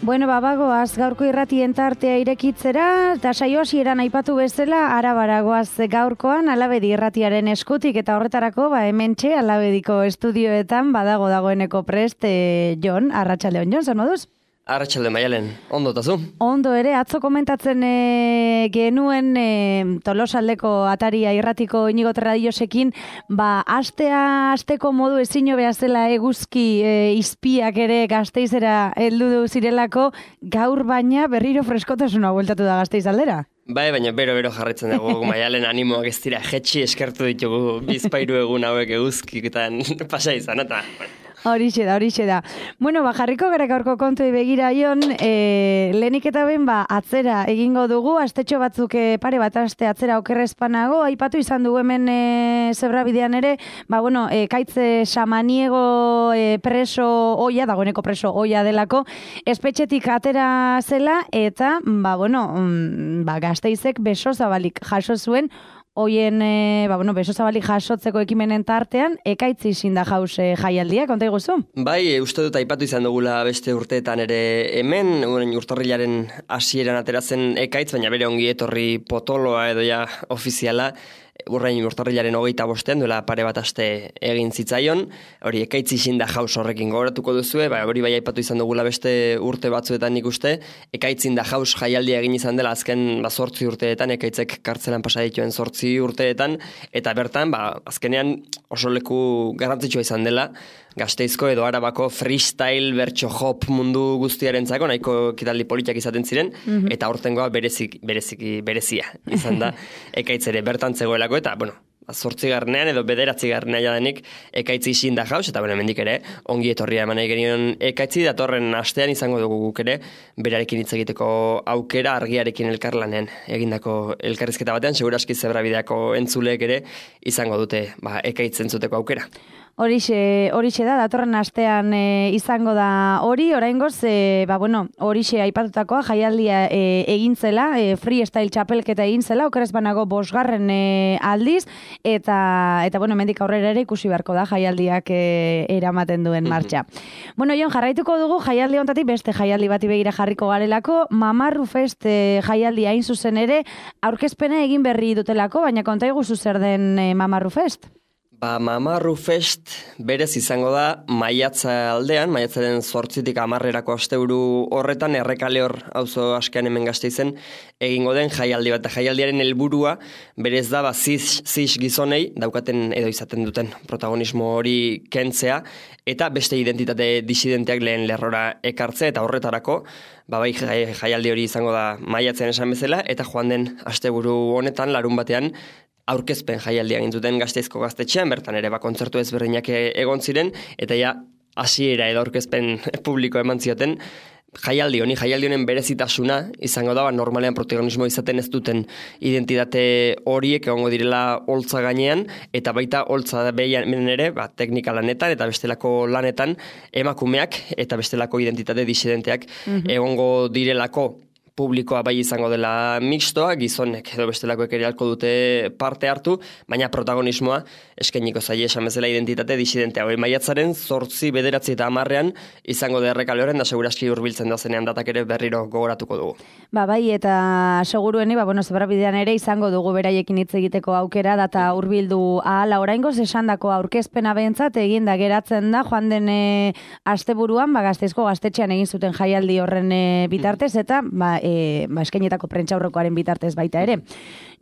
Bueno, bagoaz gaurko irratien tartea irekitzera, eta saio hasieran aipatu bezala, Arabaragoaz gaurkoan Alabedi irratiaren eskutik, eta horretarako, hementxe Alabediko estudioetan dagoeneko prest, Jon, arratsaldeon, Jon, zer moduz? Arratsalde Maialen, ondo tazu? Ondo ere, atzo komentatzen genuen Tolosaldeko ataria irratiko Inigo Terradillosekin, asteko modu ezin hobea zela eguzki izpiak ere Gasteizera heldu zirelako, gaur baina berriro freskotasuna bueltatu da Gasteiz aldera. Bai, baina bero jarritzen dugu Maialen animoak ez dira jetxi eskertu ditugu bizpairu egun hauek eguzkiketan pasa izan, eta... Horixe da. Bueno, jarriko gara gaurko kontuei begira, Jon, lehenik eta ben, atzera egingo dugu, astetxo batzuk pare bat aste atzera okerrezpanago, aipatu izan dugu hemen Zebrabidean ere, Kaitze Samaniego preso oia, dagoeneko preso oia delako, espetxetik atera zela, eta, Gasteizek beso zabalik jaso zuen, hoien, beso zabalik jasotzeko ekimenen tartean, ekaitzi izin da jauz jaialdia, konta iguzu? Bai, uste dut aipatu izan dugula beste urteetan ere hemen, urtarrilaren hasieran ateratzen ekaitz, baina bere ongi etorri potoloa edo ja ofiziala, urtarrilaren 25 duela pare bat aste egin zitzaion, hori ekaitz izin da jauz horrekin gogoratuko duzue, hori bai aipatu izan dugula beste urte batzuetan nik uste, ekaitzin da jauz jaialdia egin izan dela azken 8 urteetan, ekaitzek kartzelan pasa dituen 8 urteetan, eta bertan, azkenean oso leku garrantzitsua izan dela, Gasteizko edo Arabako freestyle bertso hop mundu guztiarentzako nahiko ekitaldi politiak izaten ziren, eta aurtengoa berezia izan da ekaitzere bertan zegoelako, eta, 8garrenean edo 9garrenea jadenik ekaitzi izin da jauz, eta hemendik ere ongi etorria eman nahi genion ekaitzi, datorren astean izango dugu guk ere, berarekin hitz egiteko aukera argiarekin elkarlanean egindako elkarrizketa batean, seguraski Zebrabideako entzuleek ere izango dute ekaitz entzuteko aukera. Horixe da, datorren astean izango da hori, oraingoz, horixe aipatutakoa jaialdia egin zela, freestyle txapelketa egin zela, okerez banago 5. aldiz, eta hemendik aurrera ere ikusi beharko da jaialdiak eramaten duen martxa. Jon, jarraituko dugu jaialdi honetatik beste jaialdi bati begira jarriko garelako, Mamarru Fest jaialdia hain zuzen ere, aurkezpena egin berri dutelako, baina konta iguzu zer den Mamarru Fest? Mamarru Fest berez izango da maiatzaren 8-tik 10erako asteburu horretan Errekale hor auzo askean hemen Gasteizen egingo den jaialdi bat. Jaialdiaren helburua berez da cis gizonei daukaten edo izaten duten protagonismo hori kentzea eta beste identitate disidenteak lehen lerrora ekartzea, eta horretarako jaialdi hori izango da maiatzean esan bezala, eta joan den asteburu honetan larun batean aurkezpen jaialdia egin zuten Gasteizko gaztetxean, bertan ere kontzertu ezberdinak egon ziren, eta hasiera edo aurkezpen publiko eman zioten jaialdi honen berezitasuna izango da, normalean protagonismo izaten ez duten identitate horiek egongo direla holtza gainean, eta baita holtza behian ere, teknika lanetan eta bestelako lanetan emakumeak eta bestelako identitate disidenteak egongo direlako. Publikoa bai izango dela mixtoa, gizonek edo bestelakoek ere ahalko dute parte hartu, baina protagonismoa eskainiko zaie esan bezala identitate disidentea. Maiatzaren 8, 9 eta 10ean izango da Errekale horren, da seguraski hurbiltzen da zenean datak ere berriro gogoratuko dugu. Bai, eta segurueni, Zebrabidean ere izango dugu beraiekin hitz egiteko aukera, data hurbildu ahala oraingoz esandako aurkezpena behintzat egin da geratzen da, joan den asteburuan, Gasteizko gaztetxean egin zuten jaialdi horren bitartez, eta eskainetako prentsaurrekoaren bitartez baita ere.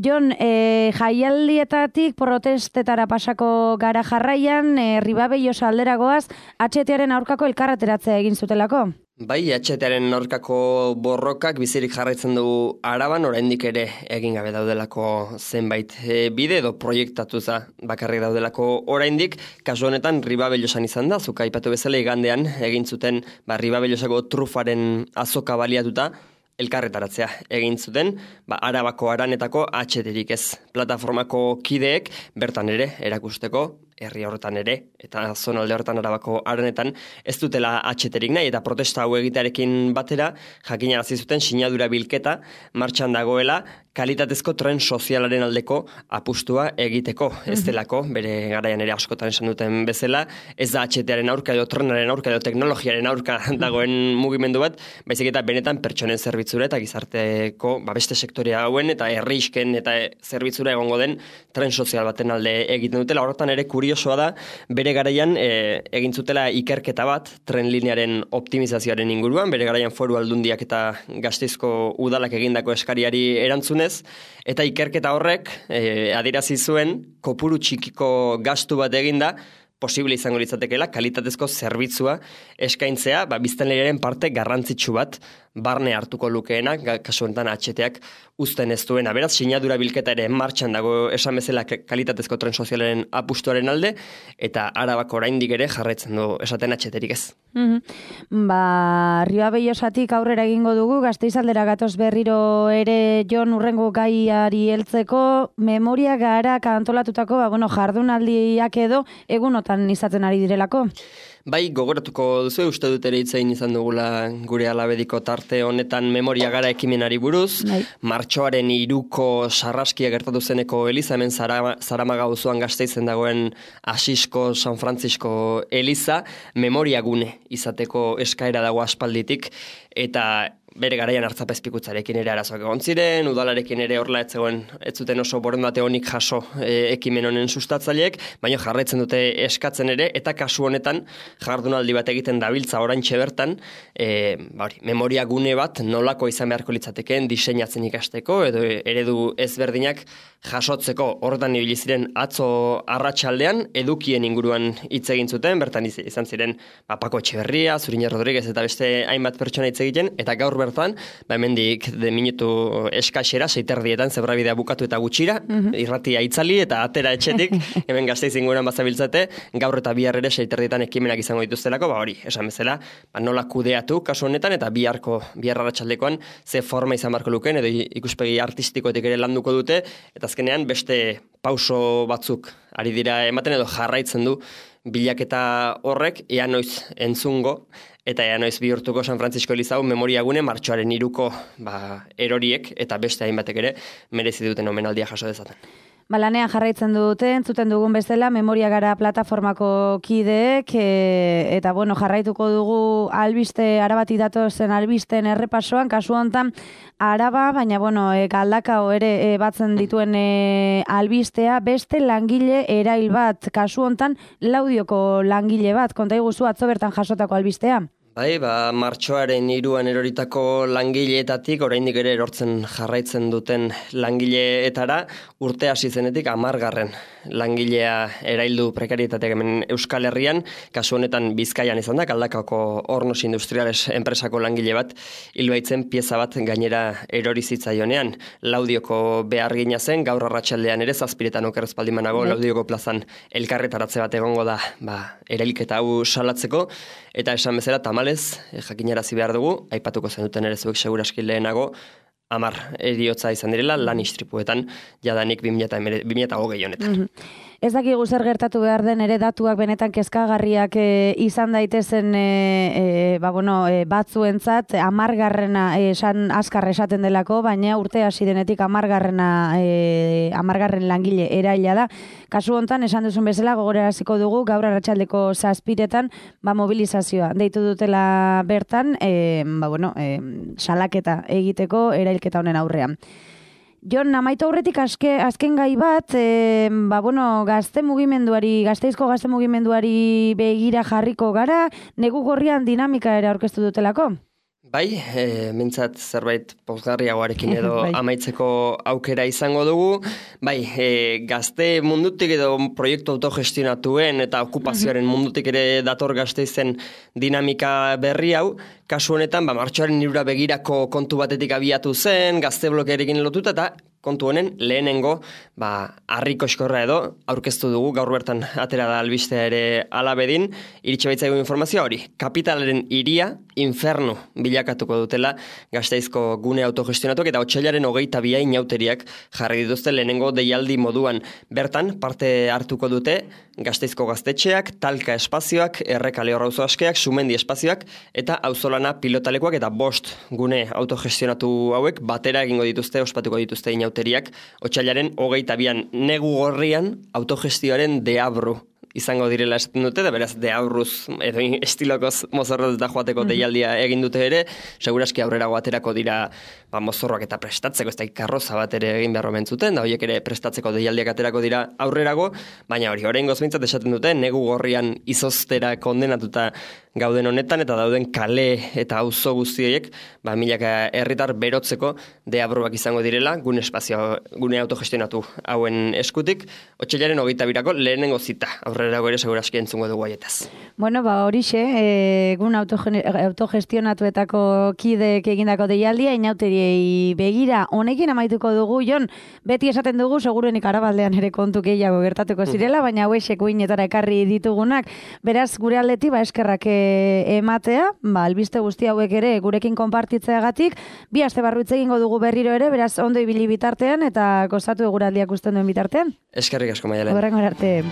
Jon, jaialdietatik protestetara pasako gara jarraian, Ribabeiosa alderagoaz, HTaren aurkako elkarreteratzea egin zutelako? Bai, HTaren aurkako borrokak bizirik jarraitzen dugu Araban, oraindik ere egin gabe daudelako zenbait bide edo proiektatuza bakarrik daudelako oraindik. Kasu honetan Ribabeiosan izan da, zuk aipatu bezala igandean egin zuten Ribabeiosako trufaren azoka baliatuta elkarretaratzea egin zuten, Arabako Aranetako HTrik ez plataformako kideek bertan ere erakusteko herri horretan ere, eta zonalde horretan Arabako arenetan, ez dutela atxeterik nahi, eta protesta hau egitearekin batera, jakinarazi zuten sinadura bilketa martxan dagoela, kalitatezko tren sozialaren aldeko apustua egiteko. Ez delako, bere garaian ere askotan esan duten bezala, ez da atxetearen aurka edo trenaren aurka edo teknologiaren aurka dagoen mugimendu bat, baizik eta benetan pertsonen zerbitzura eta gizarteko beste sektorea hauen eta herrisken eta zerbitzura egongo den tren sozial baten alde egiten dutela. Horretan ere kuriosoa da, bere garaian egin zutela ikerketa bat tren linearen optimizazioaren inguruan, bere garaian Foru Aldundiak eta Gasteizko udalak egindako eskariari erantzunez, eta ikerketa horrek adierazi zuen kopuru txikiko gastu bat eginda posible izango litzatekeela kalitatezko zerbitzua eskaintzea, biztanleriaren parte garrantzitsu bat barne hartuko lukeena, kasu honetan atxeteak uzten ez duena. Beraz, sinadura bilketa ere martxan dago esan bezala kalitatezko tren sozialaren apustuaren alde, eta Arabako oraindik ere jarraitzen du esaten atxeterik ez. Rioa Bellosatik aurrera egingo dugu, Gasteizaldera gatoz berriro ere Jon urrengo gaiari heltzeko, memoria gara kantolatutako jardunaldiak edo egunotan izaten ari direlako. Bai, gogoratuko duzu, uste dut ere hitzein izan dugula gure alabediko tarte honetan memoria gara ekimenari buruz. Bai. Martxoaren 3ko sarraskia gertatu zeneko eliza, hemen Zaramaga auzoan Gasteizen dagoen Asisko San Francisco eliza, memoria gune izateko eskaera dago aspalditik, eta bere garaian hartzapezpikutzarekin ere arazoak egon ziren, udalarekin ere horrela ez zuten oso borondate honik jaso ekimen honen sustatzaileek, baina jarraitzen dute eskatzen ere, eta kasu honetan jardunaldi bat egiten dabiltza oraintxe bertan, memoria gune bat nolako izan beharko litzatekeen diseinatzen ikasteko, edo eredu ezberdinak jasotzeko. Horretan ibili ziren atzo arratsaldean edukien inguruan hitz egin zuten, bertan izan ziren Paco Etxeberria, Zuriñe Rodríguez eta beste hainbat pertsona hitz egiten, eta gaur bertan, hemendik de minutu eskaxera, 6:30 zebrabidea bukatu eta gutxira, irratia itzali eta atera etxetik, hemen Gasteiz inguruan bazabiltzate, gaur eta bihar ere 6:30 ekimenak izango dituztelako, hori, esan bezala, nola kudeatu kasu honetan, eta bihar arratsaldekoan ze forma izan beharko lukeen, edo ikuspegi artistikoetik ere landuko dute, eta azkenean beste pauso batzuk ari dira ematen edo jarraitzen du bilaketa horrek, ea noiz entzungo, eta ea noiz bihurtuko San Francisco Elizau memoriagune martxoaren 3ko eroriek eta beste hainbatek ere merezi duten omenaldia jaso dezaten. Lanean jarraitzen dute, entzuten dugun bezala, Memoria Gara plataformako kideek, eta jarraituko dugu albiste, Arabatik datozen albisten errepasoan, kasu honetan Araba, baina Galdakao ere batzen dituen albistea, beste langile erail bat, kasu honetan Laudioko langile bat, konta iguzu atzo bertan jasotako albistea. Bai, martxoaren 3an eroritako langileetatik, oraindik ere erortzen jarraitzen duten langileetara, urte hasi zenetik 10. langilea eraildu prekarietateak hemen Euskal Herrian, kasu honetan Bizkaian izan da, Galdakaoko Hornos Industriales enpresako langile bat, hilbaitzen pieza bat gainera erori zitzaionean. Laudioko behargina zen, gaur arratsaldean ere 7 okerrez baldimanago, Laudioko plazan elkarretaratze bat egongo da, erailketa hau salatzeko, eta esan bezala tamalez, jakinarazi behar dugu, aipatuko zenuten ere zuek seguraski lehenago, 10 heriotza izan direla lan istripuetan jadanik 2020 honetan. Ez dakigu zer gertatu behar den ere datuak benetan kezkagarriak izan daitezen batzuentzat 10. Azkar esaten delako, baina urte hasi denetik 10. langile eraila da. Kasu hontan esan duzun bezala gogoraraziko dugu gaur arratsaldeko 7:00 mobilizazioa deitu dutela bertan, salaketa egiteko erailketa honen aurrean. Jon, amaitu aurretik azken gai bat, Gasteizko gazte mugimenduari begira jarriko gara, negu gorrian dinamika ere aurkeztu dutelako? Bai, mintzat zerbait pozgarriagoarekin edo amaitzeko aukera izango dugu. Bai, gazte mundutik edo proiektu autogestionatuen eta okupazioaren mundutik ere dator Gasteizen dinamika berri hau. Kasu honetan, martxoaren 3 begirako kontu batetik abiatu zen, gazte blokearekin lotuta eta kontu honen lehenengo harriko eskorra edo aurkeztu dugu, gaur bertan atera da albistea ere alabedin, iritsi baitzaigu informazioa hori. Kapitalaren hiria infernu bilakatuko dutela Gasteizko gune autogestionatuak eta otsailaren 22 inauteriak jarri dituzte lehenengo deialdi moduan. Bertan, parte hartuko dute Gasteizko gaztetxeak, talka espazioak, errekale horrauzo askeak, sumendi espazioak eta auzolana pilotalekuak eta 5 gune autogestionatu hauek batera egingo dituzte, ospatuko dituzte inauteriak. Otsailaren 22an negu gorrian autogestioaren deabru izango direla esaten dute, da beraz deaurruz edo estilokoz mozorroz da joateko deialdia egin dute ere, seguraski aurrerago aterako dira mozorroak eta prestatzeko, ez da karroza bat ere egin beharro mentzuten, da horiek ere prestatzeko deialdiak aterako dira aurrerago, baina hori, oraingoz behintzat esaten dute, negu gorrian izoztera kondenatuta gauden honetan eta dauden kale eta auzo guztiek, milaka herritar berotzeko deabruak izango direla, gune autogestionatu hauen eskutik, otsailaren 22ako lehenengo zita, aurrerago ere seguraski entzungo dugu haietaz. Bueno, horixe, egun autogestionatuetako kideek egindako deialdia, inauteriei begira, honekin amaituko dugu, Jon, beti esaten dugu, seguruenik Arabaldean ere kontu gehiago gertatuko zirela, baina hauexek uinetara ekarri ditugunak, beraz, gure aldeti, eskerrak ematea, albiste guzti hauek ere gurekin konpartitzeagatik, 2 aste barru hitz egingo dugu berriro ere, beraz, ondo ibili bitartean, eta gozatu eguraldiak usten duen bitartean. Eskerrik asko, Maialen. Horrengo arte.